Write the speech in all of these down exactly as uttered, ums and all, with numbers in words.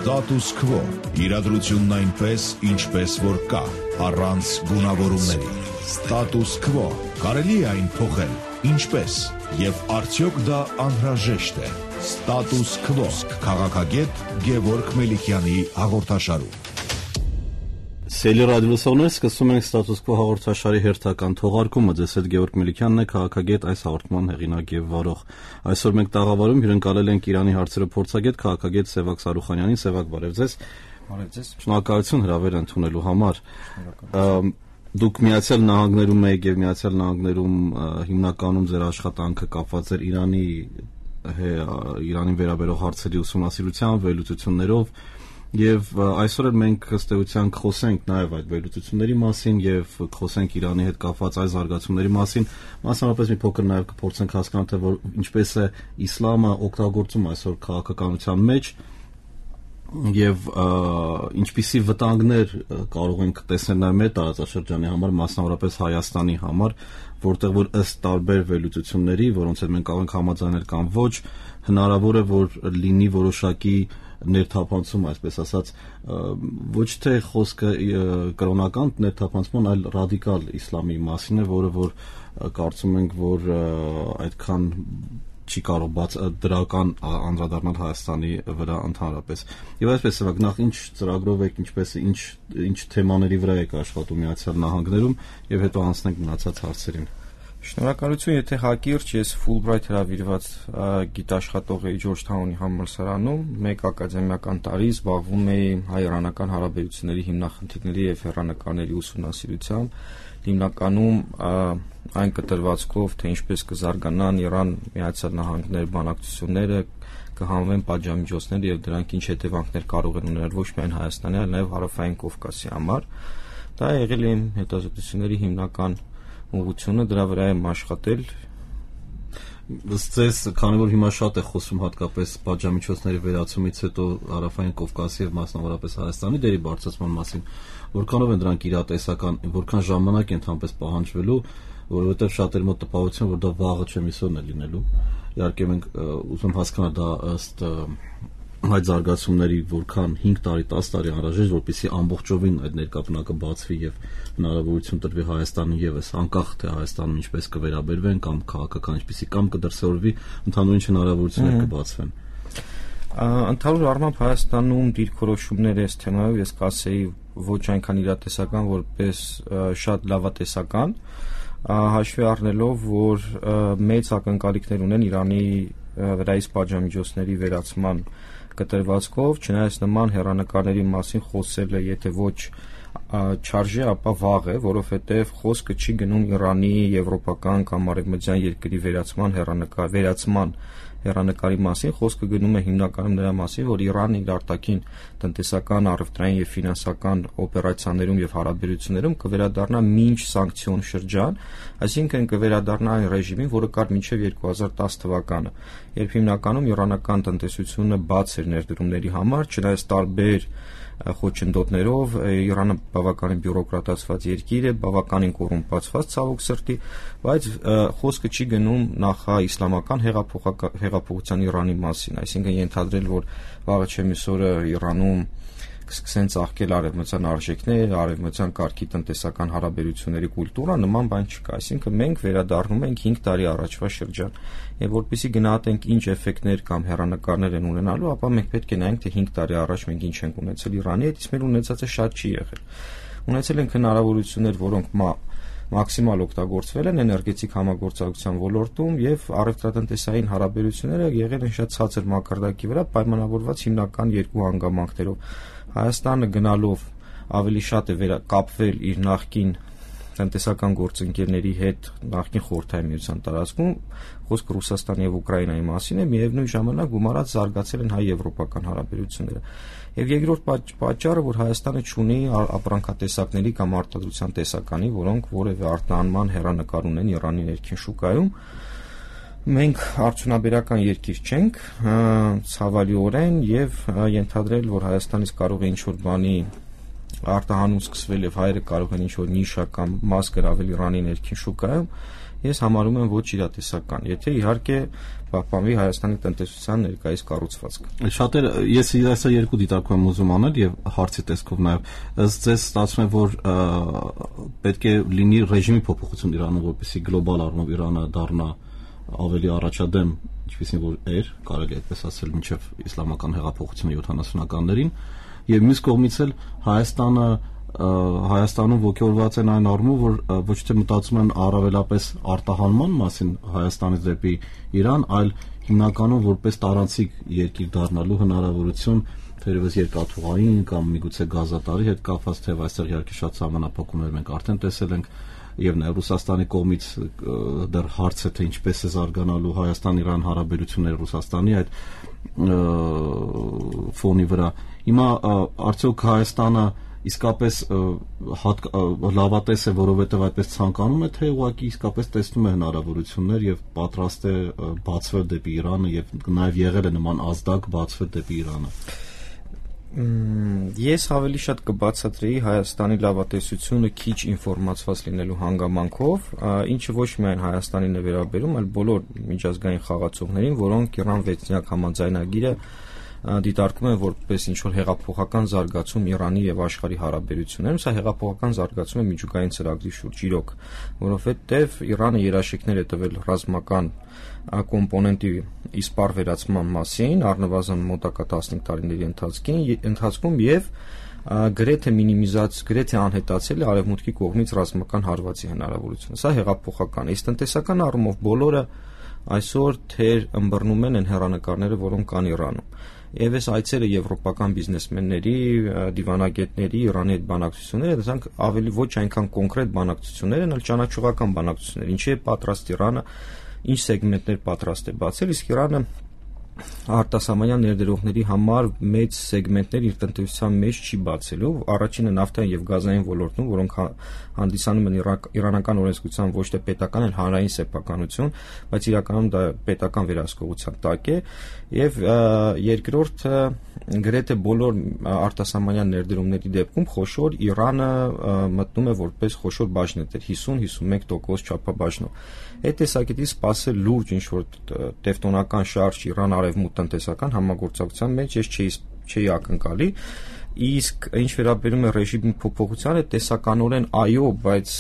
Status quo. Իրադրությունն այնպես, ինչպես որ կա, առանց գունավորումների։ Status quo. Կարելի է այն փոխել, ինչպես, եւ արդյոք դա անհրաժեշտ է։ Status quo. Քաղաքագետ Գևորգ Մելիքյանի հաղորդաշարում։ Սելի ռադիոլսողներ, սկսում ենք Status Quo հաղորդաշարի հերթական թողարկումը։ Ձեզ հետ Գևորգ Մելիքյանն է, քաղաքագետ, այս հաղորդման հեղինակ եւ վարող։ Այսօր մենք տաղավարում հյուրընկալել ենք Իրանի հարցերով փորձագետ, քաղաքագետ Սևակ Սարուխանյանին։ Սևակ, բարև ձեզ։ Բարև ձեզ։ Շնորհակալություն հրավեր ընդունելու համար։ Դուք Միացյալ Նահանգներում եք եւ Միացյալ Նահանգներում հիմնականում ձեր աշխատանքը կապված էր Իրանի Իրանին վերաբերող հարցերի ուսումնասիրությամբ, վերլուծություններով։ Եվ այսօր էլ մենք ըստ էության կխոսենք նաև այդ վերլուծությունների մասին եւ կխոսենք Իրանի հետ կապված այս զարգացումների մասին, մասնավորապես մի փոքր նաև կփորձենք հասկանալ, թե որ ինչպես է իսլամը օգտագործում այսօր քաղաքականության մեջ եւ ինչպիսի վտանգներ կարող ենք տեսնել նաև մեր տարածաշրջանի համար, մասնավորապես Հայաստանի համար, որտեղ որ ըստ տարբեր վերլուծությունների, որոնց հետ մենք կարող ենք համաձայնել կամ ոչ, հնարավոր է որ լինի որոշակի ներթափանցում, այսպես ասած, ոչ թե խոսքը կրոնական ներթափանցման, այլ ռադիկալ իսլամի մասին է, որը որ կարծում ենք, որ այդքան չի կարող բաց դրական անդրադառնալ Հայաստանի վրա ընդհանրապես։ Եվ այսպես սրանք նախ ինչ ծրագրով եք, ինչպես ինչ ինչ թեմաների վրա եք աշխատում Միացյալ Նահանգներում եւ հետո անցնենք մնացած հարցերին։ Շնորհակալություն, եթե հակիրճ ես Ֆուլբրայթ հրավիրված գիտաշխատող էի Ջորջթաունի համալսարանում, մեկ ակադեմիական տարի զբաղվում էի հայ-իրանական հարաբերությունների հիմնախնդիրների եւ հեռանկարների ուսումնասիրությամբ, հիմնականում այն կտրվածքով, թե ինչպես կզարգանան Իրան-Միացյալ Նահանգներ բանակցությունները, կհանվեն պատժամիջոցները եւ դրանք ինչ հետևանքներ կարող են ունենալ ոչ միայն Հայաստանի, այլ նաեւ Հարավային Կովկասի համար։ Դա եղել է իմ հետազոտությունների հիմնական ուղղությունը, դրա վրա եմ աշխատել։ Ըստ ձեզ, քանի որ հիմա շատ է խոսում հատկապես պատժամիջոցների վերացումից հետո Հարավային Կովկասի եւ մասնավորապես Հայաստանի դերի բարձրացման մասին, որքանով են դրանք իրատեսական, որքան ժամանակ են ընդհանրապես պահանջվելու, որովհետեւ շատերի մոտ տպավորություն որ դա վաղը չէ միսօրն է լինելու։ Իհարկե մենք ուզում հասկանալ դա ըստ այդ զարգացումների որքան հինգ տարի, տասը տարի անհրաժեշտ, որպեսզի ամբողջովին այդ ներկապնակը բացվի եւ հնարավորություն տրվի Հայաստանին եւս, անկախ թե Հայաստանում ինչպես կվերաբերվեն կամ քաղաքական ինչպեսի կամ կդրսևորվի, ընդհանուր հնարավորություններ կբացվեն։ Ընդհանուր առմամբ Հայաստանում դիրքորոշումներ այս թեմայով ես կասեի ոչ այնքան իրատեսական, որպես շատ լավատեսական, հաշվի առնելով, որ մեծ ակնկալիքներ ունեն Իրանի վրայից պատժամիջոցների վերացման կտրվածքով, չնայած նման հեռանկարների մասին խոսելը եթե ոչ չարժե, ապա վաղ է, որովհետև խոսքը չի գնում Իրանի եվրոպական կամ արևմտյան երկրի վերացման հեռանկար վերացման հեռանկարի մասին, խոսքը գնում է հիմնականում նրա մասին, որ Իրանն իր արտաքին տնտեսական, առևտրային եւ ֆինանսական օպերացիաներում եւ հարաբերություններում կվերադառնա մինչ սանկցիոն շրջան, այսինքն կվերադառնա այն ռեժիմին, որը կար մինչեւ երկու հազար տասը թվականը, երբ հիմնականում իրանական տնտեսությունը բաց էր ներդրումների համար, չնայած տարբեր խոչընդոտներով Իրանը բավականին բյուրոկրատացված երկիր է, բավականին կոռումպացված ցավոք սրտի, բայց խոսքը չի գնում նախ իսլամական հեղափոխության Իրանի մասին, այսինքն ենթադրել, որ վաղը չէ միսօրը Իրանում կսկսեն ծաղկել արևմտյան արժեքներ, արևմտյան կարգի տնտեսական հարաբերությունների կուլտուրա, նման բան չկա, այսինքն մենք վերադառնում ենք հինգ տարի առաջվա շրջան, եւ որպեսզի գնահատենք ինչ էֆեկտներ կամ հեռանկարներ են ունենալու, ապա մենք պետք է նայենք, թե հինգ տարի առաջ մենք ինչ ենք ունեցել Իրանի հետ, իսկ մեր ունեցածը շատ չի եղել։ Ունեցել ենք հնարավորություններ, որոնք մաքսիմալ օգտագործվել են էներգետիկ համագործակցության ոլորտում եւ առևտրատնտեսային հարաբերությունները եղել են շատ ցածր մակարդակի վրա, պայմանավորված հիմնական երկու հանգամանքներով։ Հայաստանը գնալով ավելի շատ է վերակապվել իր նախկին տնտեսական գործընկերների հետ նախկին Խորհրդային Միության տարածքում, խոսքը Ռուսաստանի եւ Ուկրաինայի մասին է, միևնույն ժամանակ գումարած զարգացել են հայ-եվրոպական հարաբերությունները։ Եվ երկրորդ պատճառը, որ Հայաստանը չունի ապրանքատեսակների կամ արտադրության տեսականի, որոնք որևէ արտահանման հեռանկար ունեն Իրանի ներքին շուկայում, մենք արդյունաբերական երկիր չենք, ցավալիորեն, եւ ենթադրել, որ Հայաստանից կարող է ինչ-որ բանի արտահանում սկսվել եւ հայերը կարող են ինչ-որ նիշա կամ մաս գրավել Իրանի ներքին շուկայում, ես համարում եմ ոչ իրատեսական, եթե իհարկե պահպանվի Հայաստանի տնտեսության ներկայիս կառուցվածքը։ Շատերը ես իրասա երկու դիտարկում եմ ուզում անել եւ հարցի տեսքով նաեւ ըստ ձեզ ստացվում է որ պետք է լինի ռեժիմի փոփոխություն Իրանում, որպեսզի գլոբալ առումով Իրանը դառնա ավելի առաջադեմ, ինչպեսին որ էր, կարելի այդպես ասել, մինչև իսլամական հեղափոխությունը յոթանասունականներին, եւ մյուս կողմից էլ Հայաստանը Հայաստանում ողջորված են այն առումով, որ ոչ թե մտածում են առավելապես արտահանման մասին Հայաստանից դեպի Իրան, այլ հիմնականում որպես տարանցիկ երկիր դառնալու հնարավորություն, թերևս երկաթուղային կամ միգուցե գազատարի հետ կապված, թե այստեղ իհարկե շատ սահմանափակումներ մենք արդեն տեսել ենք, եւ նաեւ Ռուսաստանի կողմից դեռ հարց է, թե ինչպես է զարգանալու Հայաստան-Իրան հարաբերությունները Ռուսաստանի այդ ֆոնի վրա։ Հիմա արդյոք Հայաստանը իսկապես լավատես է, որովհետև այդպես ցանկանում է, թե ուղղակի իսկապես տեսնում է հնարավորություններ եւ պատրաստ է բացվել դեպի Իրանը եւ նաեւ եղել է նման ազդակ բացվել դեպի Իրանը։ Ես ավելի շատ կբացատրեի Հայաստանի լավատեսությունը քիչ ինֆորմացված լինելու հանգամանքով, ինչը ոչ միայն Հայաստանին է վերաբերում, այլ բոլոր միջազգային խաղացողներին, որոնք Իրան վեցնյակ համաձայնագիրը դիտարկում են որպես ինչ-որ հեղափոխական զարգացում Իրանի եւ աշխարհի հարաբերություններում, սա հեղափոխական զարգացում է միջուկային ծրագրի շուրջ, իրոք, որովհետեւ Իրանը երաշխիքներ է տվել ռազմական կոմպոնենտի իսպառ վերացման մասին, առնվազն մոտակա տասնհինգ տարիների ընթացքում եւ գրեթե մինիմիզած, գրեթե անհետացել է արևմուտքի կողմից ռազմական հարվածի հնարավորությունը։ Սա հեղափոխական է, իսկ տնտեսական առումով բոլորը այսօր թեր ըմբռնում են այն հեռանկարները, որոնք կան Իրանում։ Եվ այս այցերը եվրոպական բիզնեսմենների, դիվանագետների, Իրանի հետ բանակցությունները, դրանք ավելի ոչ այնքան կոնկրետ բանակցություններ են, այլ ճանաչողական բանակցություններ, ինչի է պատրաստ Իրանը, ինչ սեգմենտներ պատրաստ է բացել, իսկ Իրանը արտասահմանյան ներդրողների համար մեծ սեգմենտներ իր տնտեսության մեջ չի բացելու, առաջինը նավթային եւ գազային ոլորտում, որոնք հանդիսանում են իրանական օրենսգրության ոչ թե պետական, այլ հանրային սեփականություն, բայց իրականում դա պետական վերահսկողության տակ է, եւ երկրորդը գրեթե բոլոր արտասահմանյան ներդրումների դեպքում խոշոր Իրանը մտնում է որպես խոշոր բաժնետեր հիսուն հիսունմեկ տոկոս չափաբաժնով։ Այդ տեսակետից սпасել լուրջ ինչ-որ տևտոնական շարժ Իրան արևմուտք տնտեսական համագործակցության մեջ ես չէի չէի ակնկալի, իսկ ինչ վերաբերում է ռեժիմի փոփոխությանը, տեսականորեն այո, բայց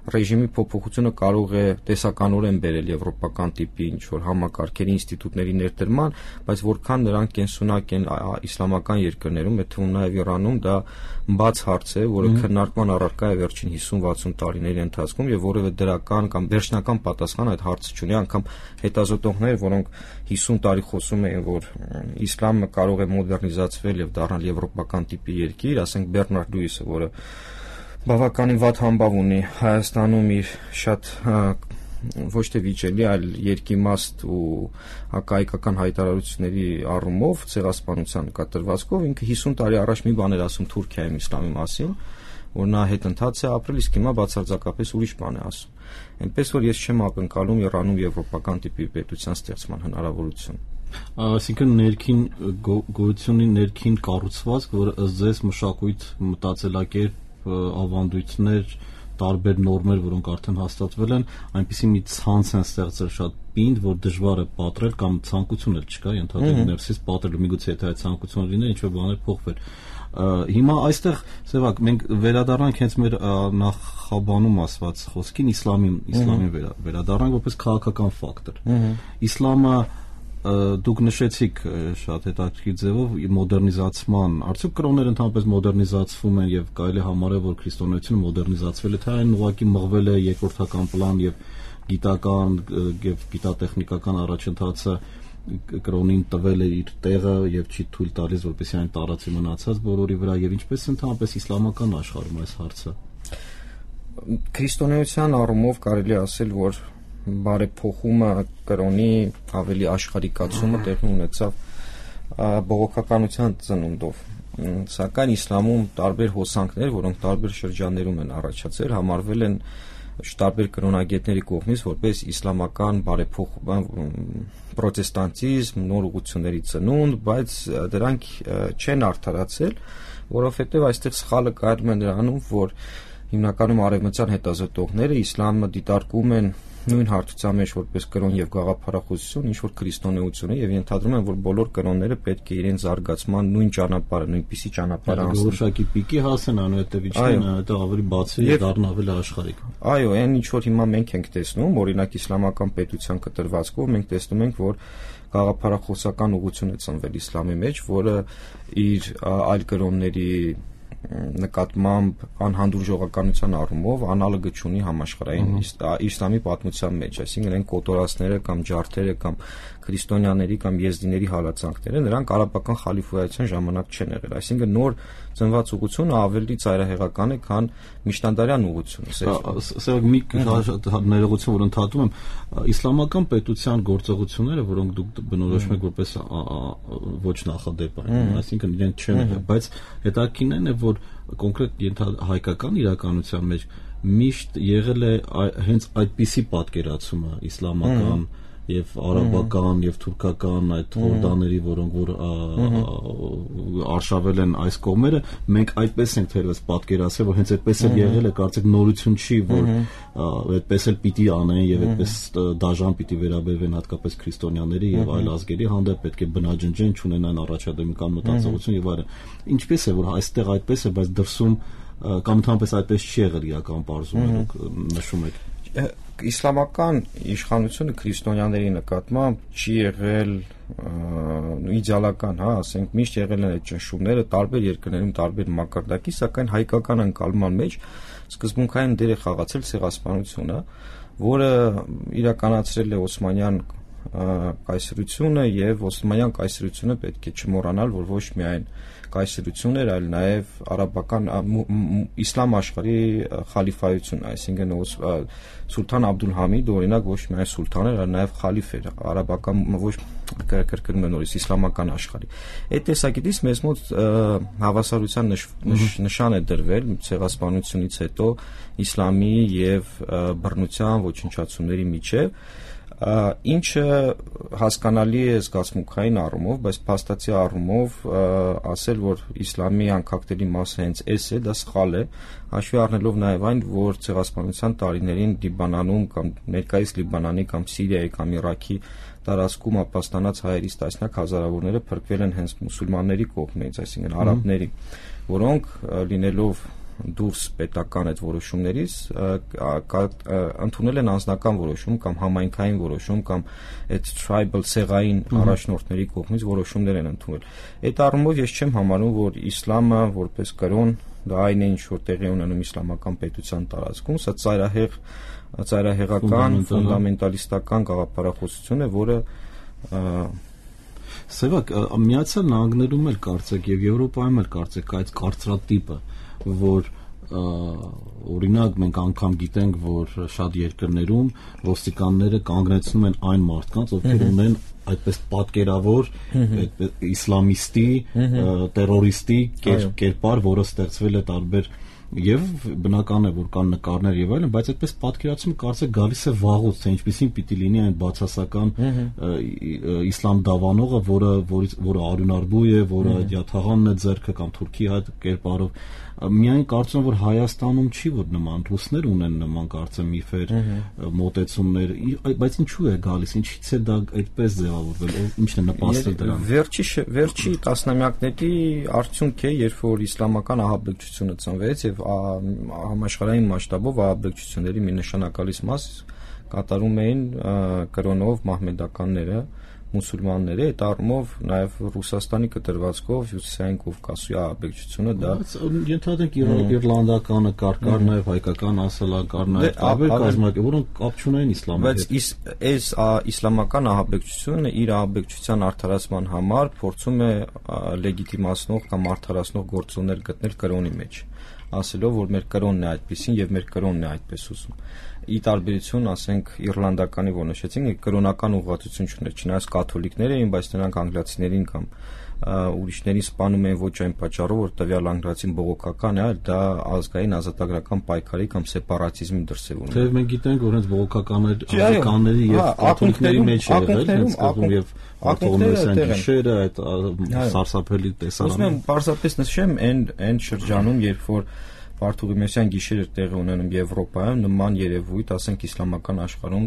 ռեժիմի փոփոխությունը կարող է տեսականորեն բերել եվրոպական տիպի ինչ-որ համակարգերի ինստիտուտների ներդրման, բայց որքան նրանք կենսունակ են իսլամական երկրներում, այդ թվում նաև Իրանում, դա բաց հարց է, որը քննարկման առարկա է վերջին հիսուն-վաթսուն տարիների ընթացքում եւ որևէ դրական կամ վերջնական պատասխան այդ հարցը չունի, անգամ հետազոտողներ, որոնք հիսուն տարի խոսում էին, որ իսլամը կարող է մոդեռնիզացվել եւ դառնալ եվրոպական տիպի երկիր, ասենք Բեռնարդ Լյուիսը, որը բավականին վատ համբավ ունի Հայաստանում իր շատ ոչ թե վիճելի, այլ երկիմաստ ու հակահայկական հայտարարությունների առումով ցեղասպանության կատարվածքով ինքը հիսուն տարի առաջ մի բան էր ասում Թուրքիայում իսլամի մասին, որ նա հետընթաց է ապրել, իսկ հիմա բացարձակապես ուրիշ բան է ասում։ Այնպես որ ես չեմ ակնկալում Իրանում եվրոպական տիպի պետության ստեղծման հնարավորություն։ Այսինքն ներքին գոյությունի ներքին կառուցվածք, որը ըստ ձեզ մշակույթ, մտածելակերպ, ավանդույթներ, տարբեր նորմեր, որոնք արդեն հաստատվել են, այնպիսի մի ցանց են ստեղծել շատ պինդ, որ դժվար է պատրել կամ ցանկություն էլ չկա, ենթադրում ներսից պատրելու, միգուցե եթե այդ ցանկությունը լիներ, ինչ-որ բաներ փոխվեր։ Հիմա այստեղ, Սևակ, մենք վերադառնանք հենց մեր նախաբանում ասված խոսքին, իսլամի, իսլամին վերադառնանք որպես քաղաքական ֆակտոր։ Իսլամը դուք նշեցիք շատ հետաքրքիր ձևով մոդեռնիզացման, արդյոք կրոնները ընդհանրապես մոդեռնիզացվում են եւ կարելի է համարել, որ քրիստոնեությունը մոդեռնիզացվել է, թե այն ուղղակի մղվել է երկրորդական պլան եւ գիտական եւ գիտատեխնիկական առաջընթացը կրոնին տվել է իր տեղը եւ չի թույլ տալիս, որպեսզի այն տարածի մնացած բոլորի վրա եւ ինչպես ընդհանրապես իսլամական աշխարհում այս հարցը։ Քրիստոնեության առումով կարելի ասել, որ բարեփոխումը կրոնի ավելի աշխարհիկացումը տեղի ունեցավ բողոքականության ծնունդով, սակայն իսլամում տարբեր հոսանքներ, որոնք տարբեր շրջաններում են առաջացել, համարվել են տարբեր կրոնագետների կողմից որպես իսլամական բարեփոխում, պրոտեստանտիզմ, նոր ուղղությունների ծնունդ, բայց դրանք չեն արդարացել, որովհետև այստեղ սխալը կայանում է նրանում, որ հիմնականում արևմտյան հետազոտողները իսլամը դիտարկում են նույն հարթության մեջ որպես կրոն եւ գաղափարախոսություն, ինչ որ քրիստոնեությունը, եւ ենթադրում են, որ բոլոր կրոնները պետք է իրենց զարգացման նույն ճանապարհը, նույնպիսի ճանապարհը անցնեն։ Որոշակի պիկի հասեն, անհետև իջնեն, հետո ավելի բացի եւ դառնան ավելի աշխարհիկ։ Այո, այն ինչ որ հիմա մենք ենք տեսնում, օրինակ իսլամական պետության կտրվածքով մենք տեսնում ենք, որ գաղափարախոսական ուղղություն է ծնվել իսլամի մեջ, որը իր այլ կրոնների նկատմամբ անհանդուրժողականության առումով անալոգը չունի համաշխարհային իսլամի պատմության մեջ, այսինքն այն կոտորածները կամ ջարդերը կամ քրիստոնյաների կամ եզդիների հալածանքները նրանք արաբական խալիֆայության ժամանակ չեն եղել, այսինքն նոր ծնված ուղղությունը ավելի ծայրահեղական է, քան միջնադարյան ուղղությունը։ Սա մի ներողություն, որ ընդհատում եմ, իսլամական պետության գործողությունները, որոնք դուք բնորոշում եք որպես ոչ նախադեպ են, այսինքն իրենք չեն եղել, բայց հետաքրքիրն է, որ կոնկրետ հայկական իրականության մեջ միշտ եղել է հենց այդպիսի պատկերացումը իսլամական եւ արաբական եւ թուրքական այդ հորդաների, որոնք որ արշավել են այս կողմերը, մենք այդպես ենք թերևս պատկերացրել, որ հենց այդպես էլ եղել է, կարծեք նորություն չի, որ այդպես էլ պիտի անեն եւ այդպես դաժան պիտի վերաբերվեն հատկապես քրիստոնյաների եւ այլ ազգերի հանդեպ, պետք է բնաջնջեն, չունենան առաջադեմական մտածողություն եւ այլն։ Ինչպես է, որ այստեղ այդպես է, բայց դրսում կամ ընդհանրապես այդպես չի եղել իրական բարձունք նշում եք։ Իսլամական իշխանությունը քրիստոնյաների նկատմամբ չի եղել իդեալական, հա, ասենք միշտ եղել են այդ ճնշումները տարբեր երկրներում տարբեր մակարդակի, սակայն հայկական ընկալման մեջ սկզբունքային դեր է խաղացել ցեղասպանությունը, որը իրականացրել է Օսմանյան կայսրությունը եւ Օսմանյան կայսրությունը պետք է չմոռանալ, որ ոչ միայն կայսրություն էր, այլ նաեւ արաբական իսլամ աշխարհի խալիֆայություն, այսինքն Սուլթան Աբդուլհամիդը օրինակ ոչ միայն սուլթան էր, այլ նաեւ խալիֆ էր, արաբական ոչ կրկնում եմ նորից իսլամական աշխարհի։ Այդ տեսակետից մեզ մոտ հավասարության նշան է դրվել ցեղասպանությունից հետո իսլամի եւ բռնության ոչնչացումների միջեւ, ինչը հասկանալի է զգացմունքային առումով, բայց փաստացի առումով ասել, որ իսլամի անկախտելի մասը հենց էս է, դա սխալ է, հաշվի առնելով նաև այն, որ ցեղասպանության տարիներին Լիբանանում կամ ներկայիս Լիբանանի կամ Սիրիայի կամ Իրաքի տարածքում ապաստանած հայերից տասնյակ հազարավորները փրկվել են հենց մուսուլմանների կողմից, այսինքն արաբների, որոնք լինելով դուրս պետական այդ որոշումներից ընդունել են անձնական որոշում կամ համայնքային որոշում կամ այդ tribal ցեղային առաջնորդների կողմից որոշումներ են ընդունել։ Այդ առումով ես չեմ համարում, որ իսլամը որպես կրոն դա այն է, ինչ որ տեղի ունենում իսլամական պետության տարածքում, սա ծայրահեղ ծայրահեղական ֆունդամենտալիստական գաղափարախոսություն է, որը Սևակ, Միացյալ Նահանգներում էլ կարծեք եւ Եվրոպայում էլ կարծեք այդ կարծրատիպը, որ օրինակ մենք անգամ գիտենք, որ շատ երկրներում ոստիկանները կանգնեցնում են այն մարդկանց, ովքեր ունեն այդպես պատկերավոր իսլամիստի, տերորիստի կերպար, որը ստեղծվել է տարբեր եւ բնական է, որ կան նկարներ եւ այլն, բայց այդպես պատկերացումը կարծեք գալիս է վաղուց, թե ինչպեսին պիտի լինի այն բացասական իսլամ դավանողը, որը որը արյունարբու է, որը յաթաղանն է ձեռքը կամ թուրքի այդ կերպարով։ Միայն կարծում եմ, որ Հայաստանում չի, որ նման ռուսներ ունեն նման կարծեմ միֆեր, մոտեցումներ, բայց ինչու է գալիս, ինչից է դա այդպես ձևավորվել, ինչն է նպաստել դրան։ Վերջի վերջի տասնամյակների արդյունք է, երբ որ իսլամական ահաբեկչությունը ծնվեց եւ համաշխարհային մասշտաբով ահաբեկչությունների մի նշանակալից մաս կատարում էին կրոնով մահմեդականները, մուսուլմանները, այդ առումով նաև Ռուսաստանի կտրվածքով Հյուսիսային Կովկասի ահաբեկչությունը դա ենթադրենք իռլանդականը կար, կար նաև հայկական ասելան, կար նաև տարբեր կազմակերպ, որոնք կապ չունեն իսլամի հետ։ Բայց այս իսլամական ահաբեկչությունը իր ահաբեկչության արդարացման համար փորձում է լեգիտիմացնող կամ արդարացնող գործոններ գտնել կրոնի մեջ, ասելով, որ մեր կրոնն է այդպեսին եւ մեր կրոնն է այդպես ուզում։ Ի տարբերություն, ասենք, իռլանդականի, որ նշեցինք, կրոնական ուղղվածություն չուներ, չնայած կաթոլիկներ էին, բայց նրանք անգլիացիներին կամ ուրիշներին սպանում էին ոչ այն պատճառով, որ տվյալ անգլիացին բողոքական է, այլ դա ազգային ազատագրական պայքարի կամ սեպարատիզմի դրսևորում է։ Թեև մենք գիտենք, որ հենց բողոքականների կանների եւ կաթոլիկների մեջ է եղել, հենց կողմ եւ արտոնեսյան գիշերը, այդ սարսափելի տեսարանը։ Ուզում եմ պարզապես նշեմ այն այն շրջանում, երբ որ Բարդուղիմեսյան գիշերը տեղի ունենում Եվրոպայում, նման երևույթ, ասենք իսլամական աշխարհում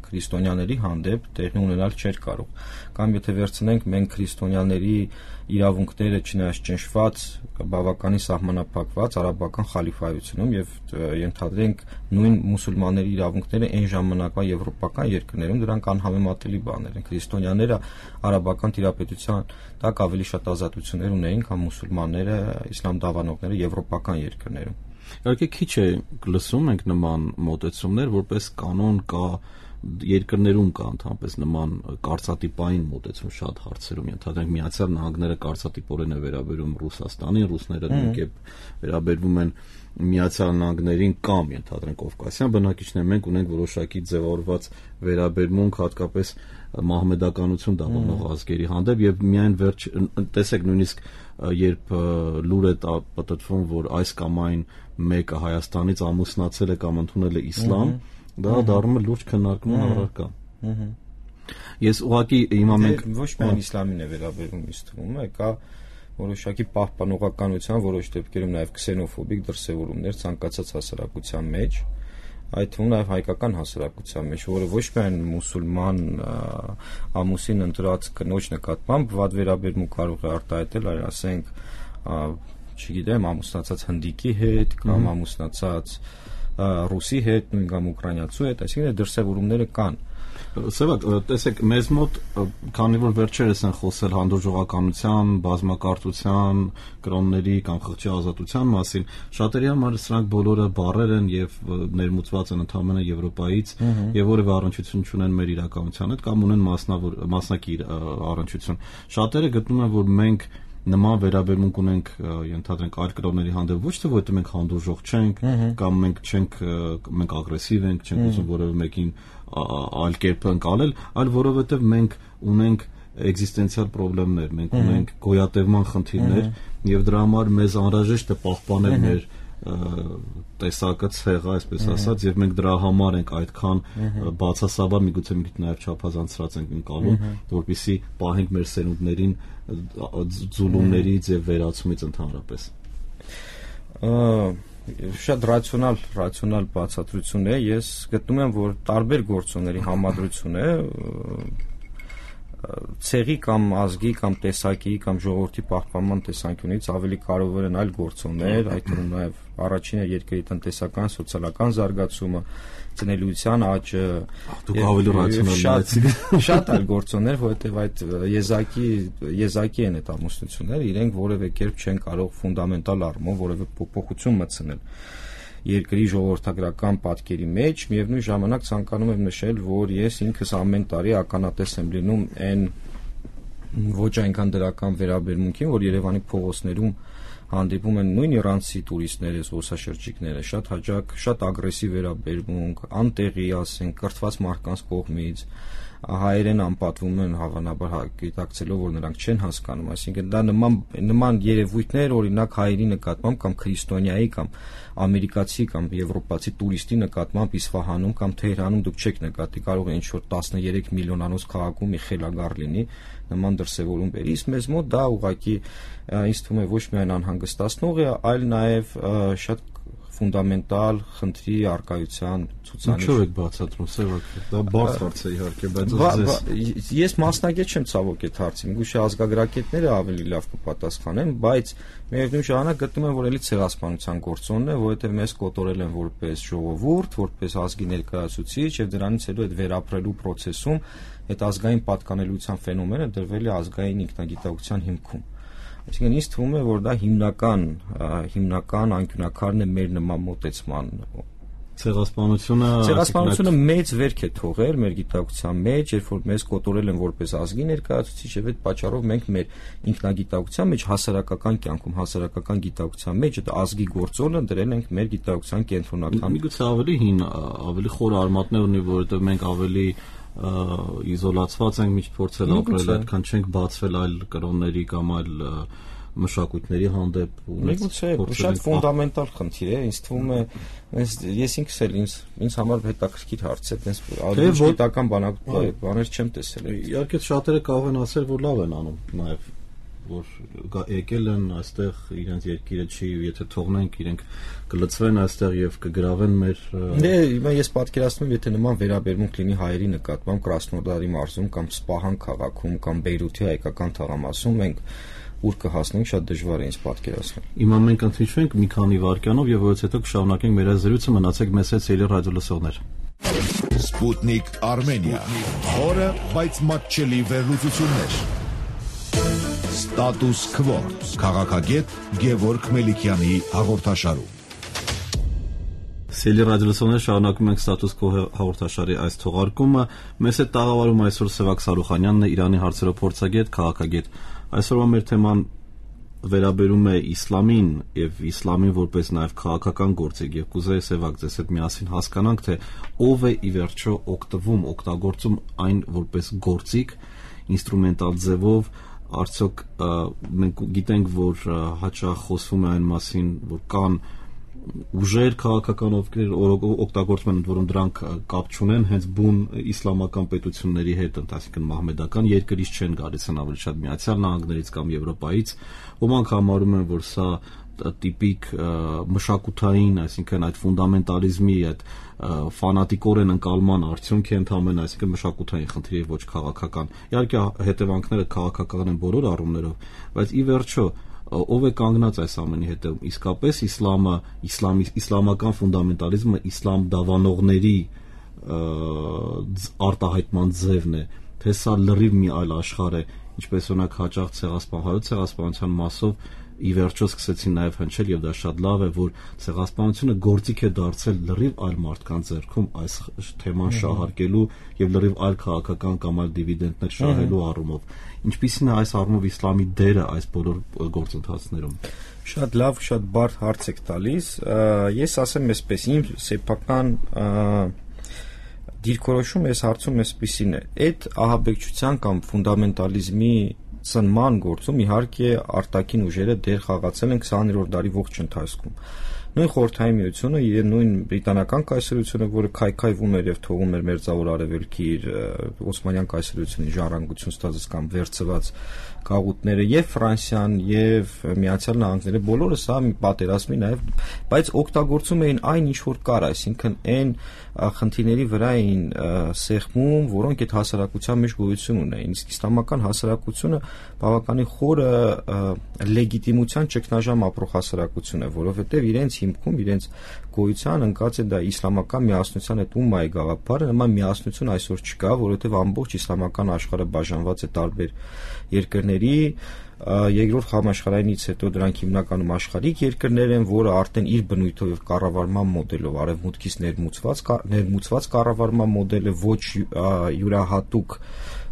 քրիստոնյաների հանդեպ տեղի ունենալ չէր կարող։ Կամ եթե վերցնենք մենք քրիստոնյաների իրավունքները չնայած ճնշված, բավականին սահմանափակված արաբական խալիֆայությունում եւ ենթադրենք նույն մուսուլմանների իրավունքները այն ժամանակվա եվրոպական երկրներում դրանք անհամեմատելի բաներ են։ Քրիստոնյաները արաբական տիրապետության տակ ավելի շատ ազատություններ ունեին, քան մուսուլմանները, իսլամ դավանողները եվրոպական երկրներում։ Իհարկե քիչ է լսում ենք նման մոտեցումներ, որպես կանոն կա երկրներում կա ընդհանրապես նման կարծատիպային մոտեցում շատ հարցերում, ենթադրենք Միացյալ Նահանգները կարծատիպորեն է վերաբերում Ռուսաստանին, ռուսները նույնքեւ վերաբերվում են Միացյալ Նահանգներին կամ ենթադրենք Կովկասյան բնակիչներ, մենք ունենք որոշակի ձևավորված վերաբերմունք հատկապես մահմեդականություն դավանող ազգերի հանդեպ եւ միայն վերջ տեսեք նույնիսկ երբ լուր է պատտվում, որ այս կամ այն մեկը Հայաստանից ամուսնացել է կամ ընդունել է իսլամ, դա դառնում է լուրջ քննարկման առարկա։ Ես ուղղակի հիմա մենք ոչ միայն իսլամին է վերաբերում, ինձ թվում է, կա որոշակի պահպանողականության որոշ դեպքերում նաև քսենոֆոբիկ դրսևորումներ ցանկացած հասարակության մեջ, այդ թվում նաև հայկական հասարակության մեջ, որը ոչ միայն մուսուլման ամուսին ընտրած կնոջ նկատմամբ վատ վերաբերմունք կարող է արտահայտել, այլ ասենք, չգիտեմ, ամուսնացած հնդիկի հետ կամ ամուսնացած ռուսի հետ, նույն կամ ուկրաինացու հետ, այսինքն դրսևորումները կան։ Սևակ, տեսեք, մեզ մոտ, քանի որ վերջերս են խոսել հանդուրժողականության, բազմակարծության, կրոնների կամ խղճի ազատության մասին, շատերի համար սրանք բոլորը բառեր են եւ ներմուծված են ընդհանրապես Եվրոպայից եւ որևէ առնչություն չունեն մեր իրականության հետ կամ ունեն մասնավոր մասնակի առնչություն։ Շատերը գտնում են, որ մենք նման վերաբերմունք ունենք ենթադրենք այլ կրոնների հանդեպ ոչ թե որովհետեւ մենք հանդուրժող չենք կամ մենք չենք մենք ագրեսիվ ենք, չենք ուզում որևէ մեկին այլ կերպ ընկալել, այլ որովհետեւ մենք ունենք էգզիստենցիալ խնդիրներ, մենք ունենք գոյատևման խնդիրներ եւ դրա համար մեզ անհրաժեշտ է պահպանել մեր տեսակը ցեղը, այսպես ասած, եւ մենք դրա համար ենք այդքան բացասաբար միգուցե մի քիչ նաեւ չափազանցրած ենք ընկալում, որպեսզի պահենք մեր սերունդներին ձուլումներից եւ վերացումից ընդհանրապես։ Շատ ռացիոնալ, ռացիոնալ բացատրություն է, ես գտնում եմ, որ տարբեր գործոնների համադրություն է ցեղի կամ ազգի կամ տեսակի կամ ժողովրդի պահպանման տեսանկյունից ավելի կարևոր են այլ գործոններ, այդ թվում նաև առաջինը երկրի տնտեսական, սոցիալական զարգացումը, ծնելիության աճը, դուք ավելի ռացիոնալ եք, շատ այլ գործոններ, որովհետև այդ եզակի եզակի են այդ ամուսնությունները, իրենք որևէ կերպ չեն կարող ֆունդամենտալ առումով որևէ փոփոխություն մտցնել երկրի ժողովրդագրական պատկերի մեջ, միևնույն ժամանակ ցանկանում եմ նշել, որ ես ինքս ամեն տարի ականատես եմ լինում այն ոչ այնքան դրական վերաբերմունքին, որ Երևանի փողոցներում հանդիպում են նույն իրանցի տուրիստները, զբոսաշրջիկները, շատ հաճախ, շատ ագրեսիվ վերաբերմունք, անտեղի, ասենք, կրթված մարդկանց կողմից, հայերեն անպատվում են հավանաբար գիտակցելով, որ նրանք չեն հասկանում, այսինքն դա նման նման երևույթներ, օրինակ հայերի նկատմամբ կամ քրիստոնյայի կամ ամերիկացի կամ եվրոպացի տուրիստի նկատմամբ Իսֆահանում կամ Թեհրանում դուք չեք նկատի, կարող է ինչ-որ տասներեք միլիոնանոց քաղաքում մի խելագար լինի, նման դրսևորում բերի, իսկ մեզ մոտ դա ուղղակի ինձ թվում է ոչ միայն անհանգստացնող է, այլ նաև շատ ֆունդամենտալ խնդրի արկայության ցուցանիշ։ Ինչու եք բացատրում, Սևակ, դա բարձ հարց է իհարկե, բայց ձեզ ես մասնագետ չեմ ցավոք այդ հարցին, գուցե ազգագրագետները ավելի լավ կպատասխանեն, բայց միևնույն ժամանակ գտնում եմ, որ էլի ցեղասպանության գործոնն է, որովհետև մեզ կոտորել են որպես ժողովուրդ, որպես ազգի ներկայացուցիչ եւ դրանից հետո այդ վերապրելու process-ում այդ ազգային պատկանելիության ֆենոմենը դրվել է ազգային ինքնագիտակցության հիմքում։ Այսինքն ինձ թվում է, որ դա հիմնական հիմնական անկյունակարն է մեր նման մոտեցման։ Ցեղասպանությունը Ցեղասպանությունը մեծ վերք է թողել մեր գիտակցության մեջ, երբ որ մեզ կոտորել են որպես ազգի ներկայացուցիչ եւ այդ պատճառով մենք մեր ինքնագիտակցության մեջ հասարակական կյանքում, հասարակական գիտակցության մեջ այդ ազգի գործոնը դրել ենք մեր գիտակցության կենտրոնական։ Միգուցե ավելի հին, ավելի խոր արմատներ ունի, որովհետեւ մենք ավելի իզոլացված ենք, միշտ փորձել ապրել, այդքան չենք բացվել այլ կրոնների կամ այլ մշակույթների հանդեպ ու միգուցե շատ ֆունդամենտալ խնդիր է, ինձ թվում է, ես ինքս էլ ինձ ինձ համար հետաքրքիր հարց է, այտենց ավելի գիտական բաներ չեմ տեսել։ Իհարկե շատերը կարող են ասել, որ լավ են անում նաև որ եկել են այստեղ իրենց երկիրը չի, եթե թողնենք իրենք կլծվեն այստեղ եւ կգրավեն մեր Դե հիմա ես պատկերացնում եմ, եթե նման վերաբերմունք լինի հայերի նկատմամբ Կրասնոդարի մարզում կամ Սպահան քաղաքում կամ Բեյրութի հայկական թաղամասում, մենք ուր կհասնենք շատ դժվար է ինձ պատկերացնել։ Հիմա մենք ընդհանրենք մի քանի վայրկյանով եւ որից հետո կշարունակենք մեր զրույցը, մնացեք մեզ հետ Սիրելի ռադիոլսողներ։ Sputnik Armenia. Խորը, բայց մատչելի վերլուծություններ։ Status Quo. Քաղաքագետ Գևորգ Մելիքյանի հաղորդաշարում։ Սիրելի ռադիոլսողներ, շարունակում ենք Status Quo հաղորդաշարի այս թողարկումը։ Մեզ հետ տաղավարում այսօր Սևակ Սարուխանյանն է, Իրանի հարցերով փորձագետ, քաղաքագետ։ Այսօրվա մեր թեման վերաբերում է իսլամին եւ իսլամին որպես նաեւ քաղաքական գործիք եւ կուզեի Սևակ ձեզ հետ միասին հասկանանք, թե ով է ի վերջո օգտվում, օգտագործում այն որպես գործիք, ինստրումենտալ ձևով, արդյոք մենք գիտենք, որ հաճախ խոսվում է այն մասին, որ կան ուժեր քաղաքական ովքեր օգտագործում են, որոնք դրանք կապ չունեն հենց բուն իսլամական պետությունների հետ, այսինքն մահմեդական երկրից չեն գալիս, են ավելի շատ Միացյալ Նահանգներից կամ Եվրոպայից, ոմանք համարում են, որ սա տիպիկ մշակութային, այսինքն այդ ֆունդամենտալիզմի, այդ ֆանատիկորեն ընկալման արդյունք է ընդհանրապես, այսինքն մշակութային խնդիր եւ ոչ քաղաքական։ Իհարկե հետևանքները քաղաքական են բոլոր առումներով, բայց ի վերջո ով է կանգնած այս ամենի հետևում, իսկապես իսլամը, իսլամի իսլամական ֆունդամենտալիզմը իսլամ դավանողների արտահայտման ձևն է, թե սա լրիվ մի այլ աշխարհ է, ինչպես օրինակ հաճախ ցեղասպանության ցեղասպանության մասով ի վերջո սկսեցին նաև հնչել եւ դա շատ լավ է, որ ցեղասպանությունը գործիք է դարձել լրիվ այլ մարդկանց ձեռքում այս թեման շահարկելու եւ լրիվ այլ քաղաքական կամ այլ դիվիդենտներ շահելու առումով։ Ինչպիսին է այս առումով իսլամի դերը այս բոլոր գործընթացներում։ Շատ լավ, շատ բարդ հարց եք տալիս։ Ես ասեմ այսպես, իմ սեփական դիրքորոշումը այս հարցում այսպիսին է. այդ ահաբեկչության կամ ֆունդամենտալիզմի ծնման գործում իհարկե արտաքին ուժերը դեր խաղացել են քսաներորդ դարի ողջ ընթացքում։ Նույն Խորհրդային Միությունը եւ նույն բրիտանական կայսրությունը, որը քայքայվում էր եւ թողում էր Մերձավոր Արևելքի իր Օսմանյան կայսրությունի ժառանգություն ստացած կամ վերցված գաղութները եւ Ֆրանսիան եւ Միացյալ Նահանգները բոլորը սա մի պատերազմի նաեւ, բայց օգտագործում էին այն ինչ որ կար, այսինքն այն խնդիրների վրա էին սեղմում, որոնք այդ հասարակության մեջ գոյություն ունեին։ Իսկ իսլամական հասարակությունը բավականին խորը լեգիտիմության ճգնաժամ ապրող հասարակություն է, որովհետեւ իրենց հիմքում, իրենց գոյության ընկած է դա իսլամական միասնության այդ ումմայի գաղափարը, նման միասնություն այսօր չկա, որովհետեւ ամբողջ իսլամական աշխարհը բաժանված է տարբեր երկրների, երկրորդ համաշխարհայինից հետո դրանք հիմնականում աշխարհիկ երկրներ են, որը արդեն իր բնույթով եւ կառավարման մոդելով արևմուտքից ներմուծված ներմուծված կառավարման մոդել է, ոչ յուրահատուկ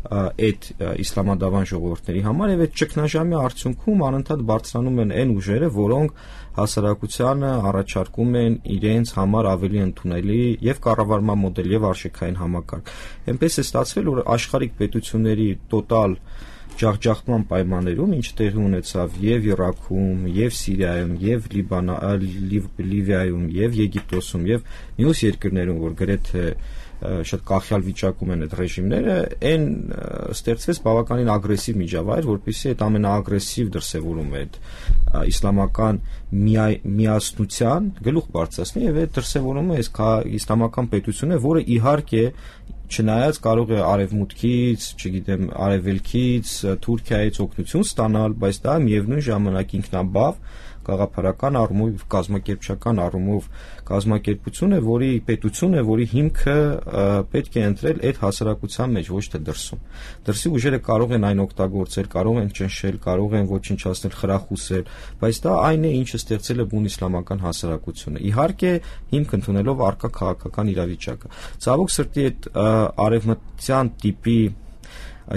այդ իսլամադավան ժողովուրդների համար եւ այդ ճգնաժամի արդյունքում անընդհատ բարձրանում են այն ուժերը, որոնք հասարակությանը առաջարկում են իրենց համար ավելի ընդունելի եւ կառավարման մոդել եւ արժեքային համակարգ։ Այնպես է ստացվել, որ աշխարհիկ պետությունների տոտալ ջախջախման պայմաններում, ինչ տեղի ունեցավ եւ Իրաքում, եւ Սիրիայում, եւ Լիվիայում, եւ Եգիպտոսում, եւ մյուս երկրներում, որ գրեթե շատ կախյալ վիճակում են այդ ռեժիմները, այն ստեղծվեց բավականին ագրեսիվ միջավայր, որպեսզի այդ ամենաագրեսիվ դրսևորումը այդ իսլամական միասնության գլուխ բարձրացնի եւ այդ դրսևորումը այս իսլամական պետությունը, որը իհարկե չնայած կարող է արևմուտքից, չգիտեմ, արևելքից, Թուրքիայից օգնություն ստանալ, բայց դա միևնույն ժամանակ ինքնաբավ գաղափարական առումով, կազմակերպչական առումով կազմակերպություն է, որի պետություն է, որի հիմքը պետք է ընտրել այդ հասարակության մեջ, ոչ թե դրսում։ Դրսի ուժերը կարող են այն օգտագործել, կարող են ճնշել, կարող են ոչնչացնել, խրախուսել, բայց դա այն է, ինչը ստեղծել է բուն իսլամական հասարակությունը։ Իհարկե, հիմք ընդունելով առկա քաղաքական իրավիճակը։ Ցավոք սրտի այդ արևմտյան տիպի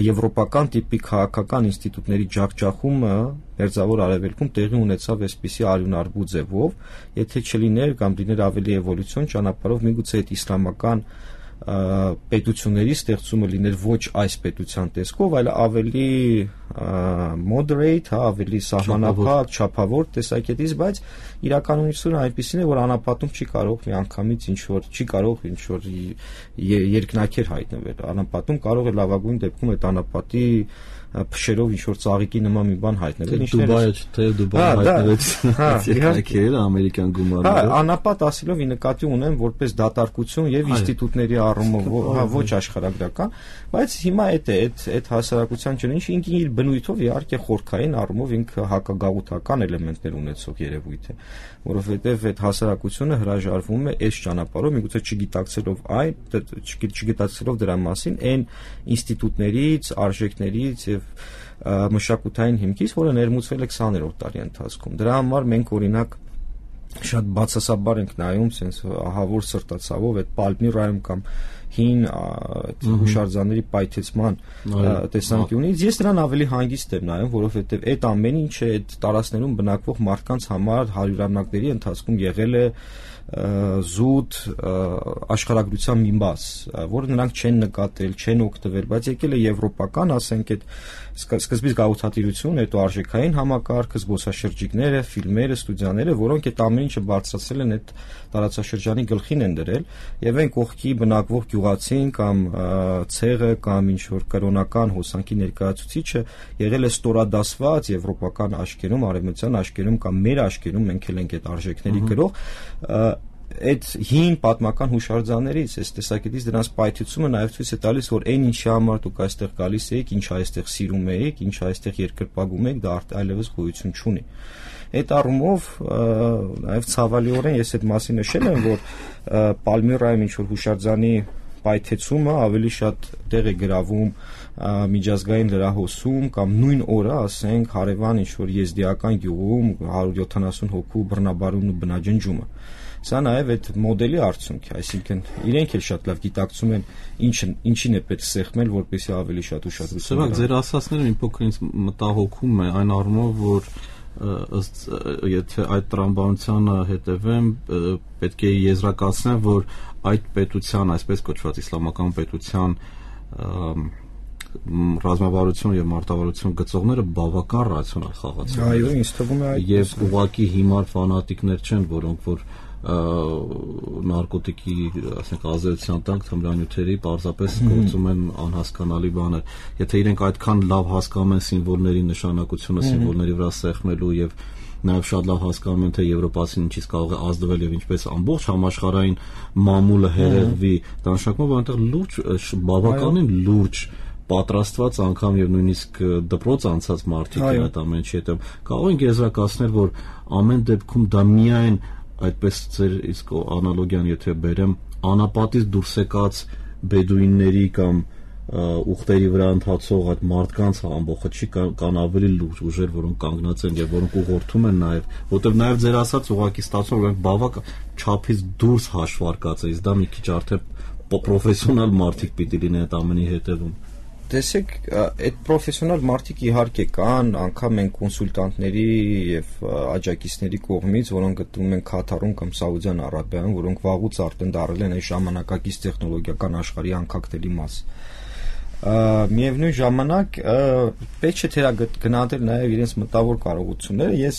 եվրոպական տիպի քաղաքական ինստիտուտների ջախջախումը Մերձավոր Արևելքում տեղի ունեցավ այսպիսի արյունարբու ձևով, եթե չլիներ կամ լիներ ավելի էվոլյուցիոն ճանապարհով, միգուցե այդ իսլամական պետությունների ստեղծումը լիներ ոչ այս պետության տեսքով, այլ ավելի moderate, հա, ավելի սահմանափակ, չափավոր տեսակետից, բայց իրականությունը այնպիսին է, որ անապատում չի կարող միանգամից ինչ որ չի կարող ինչ որ երկնաքեր հայտնվել։ Անապատում կարող է լավագույն դեպքում այդ անապատի փշերով ինչ որ ծաղիկի նման մի բան հայտնել են, Դուբայը թե Դուբայը հայտնվեց, հա, ամերիկյան գումարները։ Հա, անապատ ասելով ի նկատի ունեմ որպես դատարկություն եւ ինստիտուտների առումով, հա, ոչ աշխարհագրական, բայց հիմա այդ է, այդ այդ հասարակության ճնին ինքն իր բնույթով իհարկե խորքային առումով ինքը հակագաղութական էլեմենտներ ունեցող երևույթ է, որովհետեւ այդ հասարակությունը հրաժարվում է այս ճանապարհով, միգուցե չգիտակցելով այն, չգիտակցելով դրա մասին այն ինստիտուտներից, արժեքներից եւ մշակութային հիմքից, որը ներմուծվել է քսաներորդ դարի ընթացքում։ Դրա համար մենք օրինակ շատ բացասաբար ենք նայում sense ահավոր սրտացավով այդ Պալմիրայում կամ հին հուշարձանների պայթեցման տեսանկյունից ես նրան ավելի հանգիստ եմ նայում, որովհետև այդ ամեն ինչը այդ տարածքներում բնակվող մարդկանց համար հարյուրամյակների ընթացքում եղել է զուտ աշխարհագրության մի մաս, որը նրանք չեն նկատել, չեն օգտվել, բայց եկել է եվրոպական, ասենք այդ սկզբից գաղութատիրություն, հետո արժեքային համակարգը, զբոսաշրջիկները, ֆիլմերը, ստուդիաները, որոնք այդ ամեն ինչը բարձրացրել են այդ տարածաշրջանի գլխին են դրել, եւ այն կողքի բնակվող գյուղացին կամ ցեղը կամ ինչ որ կրոնական հոսանքի ներկայացուցիչը եղել է ստորադասված եվրոպական աշկերում, արևմտյան աշկերում կամ մեր աշկերում մենք էլ ենք այդ արժեքների գրող այդ հին պատմական հուշարձաններից, այս տեսակետից դրանց պայթեցումը նաև ցույց է տալիս, որ այն ինչի համար դուք այստեղ գալիս եք, ինչ այստեղ սիրում եք, ինչ այստեղ երկրպագում եք, դա այլևս գոյություն չունի։ Այդ առումով նաև ցավալիորեն ես այդ մասին նշել եմ, որ Պալմիրայում ինչ որ հուշարձանի պայթեցումը ավելի շատ տեղ է գրավում միջազգային լրահոսում կամ նույն օրը, ասենք, հարևան ինչ որ եզդիական գյուղում հարյուր յոթանասուն հոգու բռնաբարումն ու բնաջնջումը։ Սա նաև այդ մոդելի արդյունք է, այսինքն իրենք էլ շատ լավ գիտակցում են ինչն ինչին է պետք սեղմել, որպեսզի ավելի շատ ուշադրություն դառնա։ Ձեր ասածները մի փոքր ինձ մտահոգում է այն առումով, որ ըստ եթե այդ տրամաբանությանը հետևեմ, պետք է եզրակացնեմ, որ այդ պետության, այսպես կոչված իսլամական պետության ռազմավարություն եւ մարտավարություն գծողները բավական ռացիոնալ խաղացող են։ Այո, ինձ թվում է այդ։ Եվ ուղղակի հիմար ֆանատիկներ չեն, որոնք որ նարկոտիկի, ասենք, ազդեցության տակ թմրանյութերի պարզապես գործում են անհասկանալի բաներ։ Եթե իրենք այդքան լավ հասկանում են սիմվոլների նշանակությունը, սիմվոլների վրա սեղմելու եւ նաև շատ լավ հասկանում են, թե եվրոպացին ինչից կարող է ազդվել եւ ինչպես ամբողջ համաշխարհային մամուլը հերեղվի, դա նշանակում է, որ այնտեղ լուրջ, բավականին լուրջ պատրաստված անգամ եւ նույնիսկ դպրոց անցած մարդիկ են այդ ամեն ինչի հետ։ Կարող ենք եզրակացնել, որ ամեն դեպքում դա միայն այդպես ձեր իսկ անալոգիան եթե բերեմ, անապատից դուրս եկած բեդուինների կամ ուխտերի վրա ընթացող այդ մարդկանց ամբողջը չի կան ավելի լուրջ ուժեր, որոնք կանգնած են եւ որոնք ուղղորդում են նաեւ, որտեղ նաեւ ձեր ասած ուղղակի ստացվում որ բավական չափից դուրս հաշվարկած է, իսկ դա մի քիչ արդեն պրոֆեսիոնալ մարդիկ պիտի լինեն այդ ամենի հետևում։ Տեսեք, այդ պրոֆեսիոնալ մարդիկ իհարկե կան, անգամ են կոնսուլտանտների եւ աջակիցների կողմից, որոնք գտնվում են Քաթարում կամ Սաուդյան Արաբիայում, որոնք վաղուց արդեն դարել են այս ժամանակակից տեխնոլոգիական աշխարհի անկախտելի մաս։ Միևնույն ժամանակ պետք չէ թերագնահատել նաև իրենց մտավոր կարողությունները։ Ես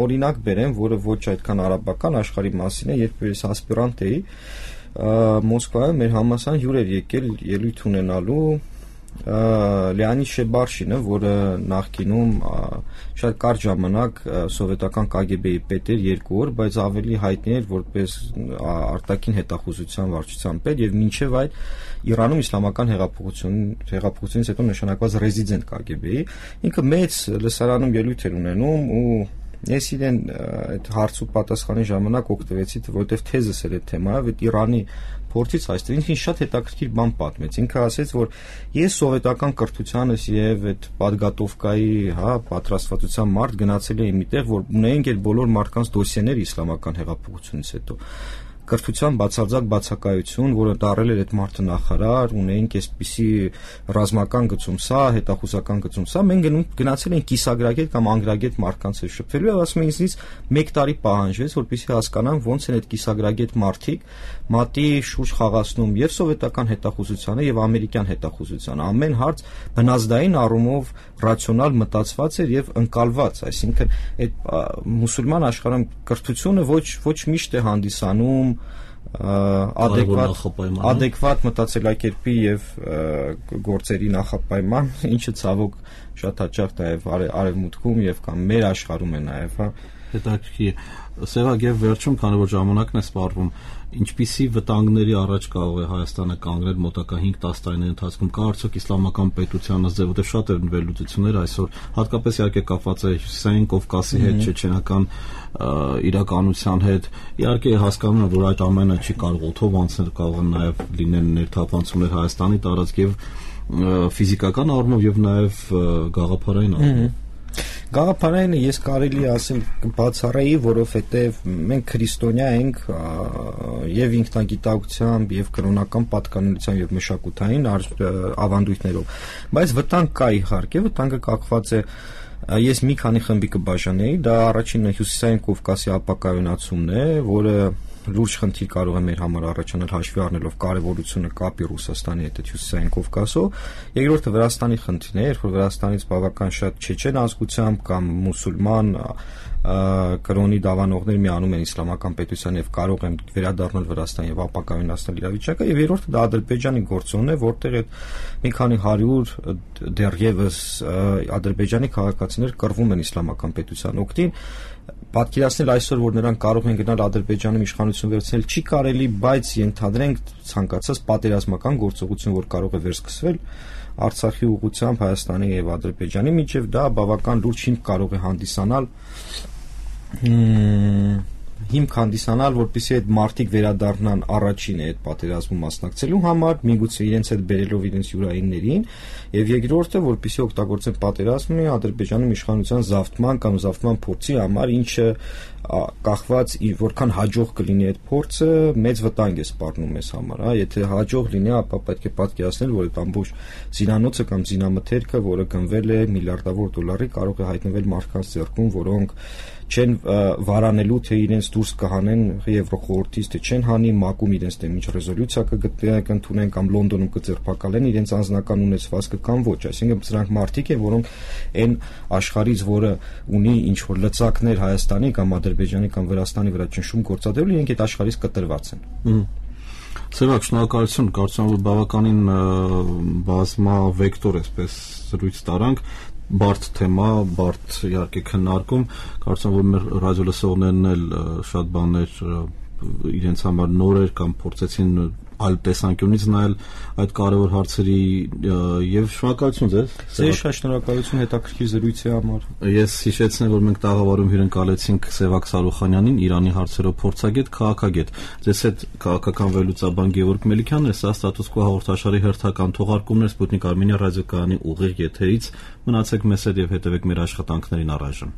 օրինակ բերեմ, որը ոչ այդքան արաբական աշխարհի մասին է, երբ ես ասպիրանտ էի, Մոսկվայում մեր համալսարան հյուր էր եկել ելույթ ունենալու Լեոնիդ Շեբարշինը, որը նախկինում շատ կարճ ժամանակ սովետական Կ Գ Բ-ի պետ էր երկու օր, բայց ավելի հայտնի էր որպես արտաքին հետախուզության վարչության պետ եւ մինչեւ այդ Իրանում իսլամական հեղափոխություն հեղափոխությունից հետո նշանակված ռեզիդենտ Կ Գ Բ-ի, ինքը մեծ լսարանում ելույթ էր ունենում ու ես իրեն այդ հարցու պատասխանի ժամանակ օգտվեցի, որովհետև թեզս էր այդ թեմայով, այդ Իրանի փորձից այստեղ ինքն շատ հետաքրքիր բան պատմեց։ Ինքը ասեց, որ ես սովետական կրթությանս եւ այդ պատգատովկայի, հա, պատրաստվածության մարդ գնացել էի միտեղ, որ ունեինք այդ բոլոր մարդկանց դոսիեները իսլամական հեղափոխությունից հետո։ Կրթության բացարձակ բացակայություն, որը դարել էր այդ մարդը նախարար, ունեինք այսպիսի ռազմական գծում սա, հետախուզական գծում սա, մենք գնացել ենք կիսագրագետ կամ անգրագետ մարդկանց հետ շփվելու եւ ասում են ինձնից մեկ տարի պահանջվեց, որպեսզի հասկանամ ոնց են այդ կիսագրագետ մարդիկ մատի շուրջ խաղացնում եւ սովետական հետախուզությանը եւ ամերիկյան հետախուզությանը։ Ամեն հարց բնազդային առումով ռացիոնալ մտածված էր եւ ընկալված, այսինքն այդ մուսուլման աշխարհում կրթությունը ոչ ոչ միշտ է հանդիսանում adekvat adekvat մտածելակերպի եւ գործերի նախապայման, ինչը ցավոք շատ հաճախ նաեւ արևմուտքում եւ կամ մեր աշխարհում է նաեւ, հա։ Հետաքրքիր Սևակ, եւ վերջում, քանի որ ժամանակն է սպառվում, ինչպիսի վտանգների առաջ կարող է Հայաստանը կանգնել մոտակա հինգ-տասը տարիների ընթացքում, կա արդյոք իսլամական պետության ըստ ձեւ, որտեղ շատ են վերլուծություններ այսօր, հատկապես իհարկե կապված է Հյուսիսային Կովկասի հետ, չեչենական իրականության հետ, իհարկե հասկանում եմ, որ այդ ամենը չի կարող օդով անցնել, կարող են նաեւ լինել ներթափանցումներ Հայաստանի տարածք եւ ֆիզիկական առումով եւ նաեւ գաղափարային առումով։ Գաղափարայինը ես կարելի ասել բացառայի, որովհետև մենք քրիստոնյա ենք եւ ինքնագիտակցությամբ եւ կրոնական պատկանելիությամբ եւ մշակութային ավանդույթներով, բայց վտանգ կա իհարկե, վտանգը կախված է, ես մի քանի խմբի կբաժանեի, դա առաջինը Հյուսիսային Կովկասի ապակայունացումն է, որը լուրջ խնդիր կարող է մեր համար առաջանալ հաշվի առնելով կարևորությունը կապի Ռուսաստանի հետ Հյուսիսային Կովկասով, երկրորդը Վրաստանի խնդիրն է, երբ որ Վրաստանից բավական շատ չեչեն ազգությամբ կամ մուսուլման կրոնի դավանողներ միանում են իսլամական պետության եւ կարող են վերադառնալ Վրաստան եւ ապակայունացնել իրավիճակը, եւ երրորդը դա Ադրբեջանի գործոնն է, որտեղ այդ մի քանի հարյուր դեռևս Ադրբեջանի քաղաքացիներ կռվում են իսլամական պետության օգտին, պատկերացնել այսօր, որ նրանք կարող են գնալ Ադրբեջանում իշխանություն վերցնել, չի կարելի, բայց ենթադրենք ցանկացած պատերազմական գործողություն, որ կարող է վերսկսվել Արցախի ուղղությամբ Հայաստանի եւ Ադրբեջանի միջեւ, դա բավական լուրջ հիմք կարող է հանդիսանալ հիմք հանդիսանալ, որպեսզի այդ մարտիկ վերադառնան առաջին այդ պատերազմում մասնակցելու համար, միգուցե իրենց հետ բերելով իրենց յուրայիններին, եւ երկրորդը, որպեսզի օգտագործեն պատերազմի Ադրբեջանում իշխանության զավթման կամ զավթման փորձի համար, ինչը կախված որքան հաջող կլինի այդ փորձը, մեծ վտանգ է սպառնում մեզ համար, հա, եթե հաջող լինի, ապա պետք է պատկերացնել, որ այդ ամբողջ զինանոցը կամ զինամթերքը, որը գնվել է միլիարդավոր դոլարի, կարող է հայտնվել մարդկանց ձեռքում, որոնք չեն վարանելու, թե իրենց դուրս կհանեն Եվրոխորհրդից, թե չեն հանի, ՄԱԿ-ում իրենց դեմ ինչ ռեզոլյուցիա կընդունեն կամ Լոնդոնում կձերբակալեն իրենց անձնական ունեցվածքը կամ ոչ, այսինքն սրանք մարդիկ են, որոնք այն աշխարհից, որը ունի ինչ որ լծակներ Հայաստանի կամ Ադրբեջանի կամ Վրաստանի վրա ճնշում գործադրելու, իրենք այդ աշխարհից կտրված են։ Սևակ, շնորհակալություն, կարծում եմ, որ բավականին բազմավեկտոր այսպես զրույց տարանք, բարդ թեմա, բարդ իհարկե քննարկում, կարծում եմ, որ մեր ռադիոլսողներն էլ շատ բաներ իրենց համար նոր էր կամ փորձեցին այլ տեսանկյունից նայել այդ կարևոր հարցերի եւ շնորհակալություն ձեզ։ Ձեզ շատ շնորհակալություն հետաքրքիր զրույցի համար։ Ես հիշեցնեմ, որ մենք տաղավարում հյուրընկալեցինք Սևակ Սարուխանյանին, Իրանի հարցերով փորձագետ, քաղաքագետ։ Ձեզ հետ քաղաքական վերլուծաբան Գևորգ Մելիքյանն է, սա Ստատուս Քվո հաղորդաշարի հերթական թողարկումն է Սպուտնիկ Արմենիա ռադիոկայանի ուղիղ եթերից։ Մնացեք մեզ հետ եւ հետեւեք մեր աշխատանքներին առայժմ։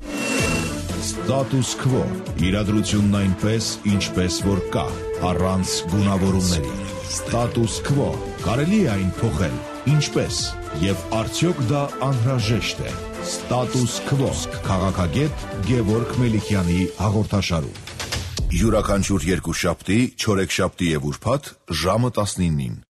Ստատուս Քվո իրադրությունն այնպես, ինչպես որ կա, առանց գունավորումների։ Ստատուս Քվո կարելի է այն փոխել, ինչպես եւ արդյոք դա անհրաժեշտ է։ Ստատուս Քվո քաղաքագետ Գևորգ Մելիքյանի հաղորդաշարում։ Յուրաքանչյուր երկուշաբթի, չորեքշաբթի եւ ուրբաթ ժամը տասնինին։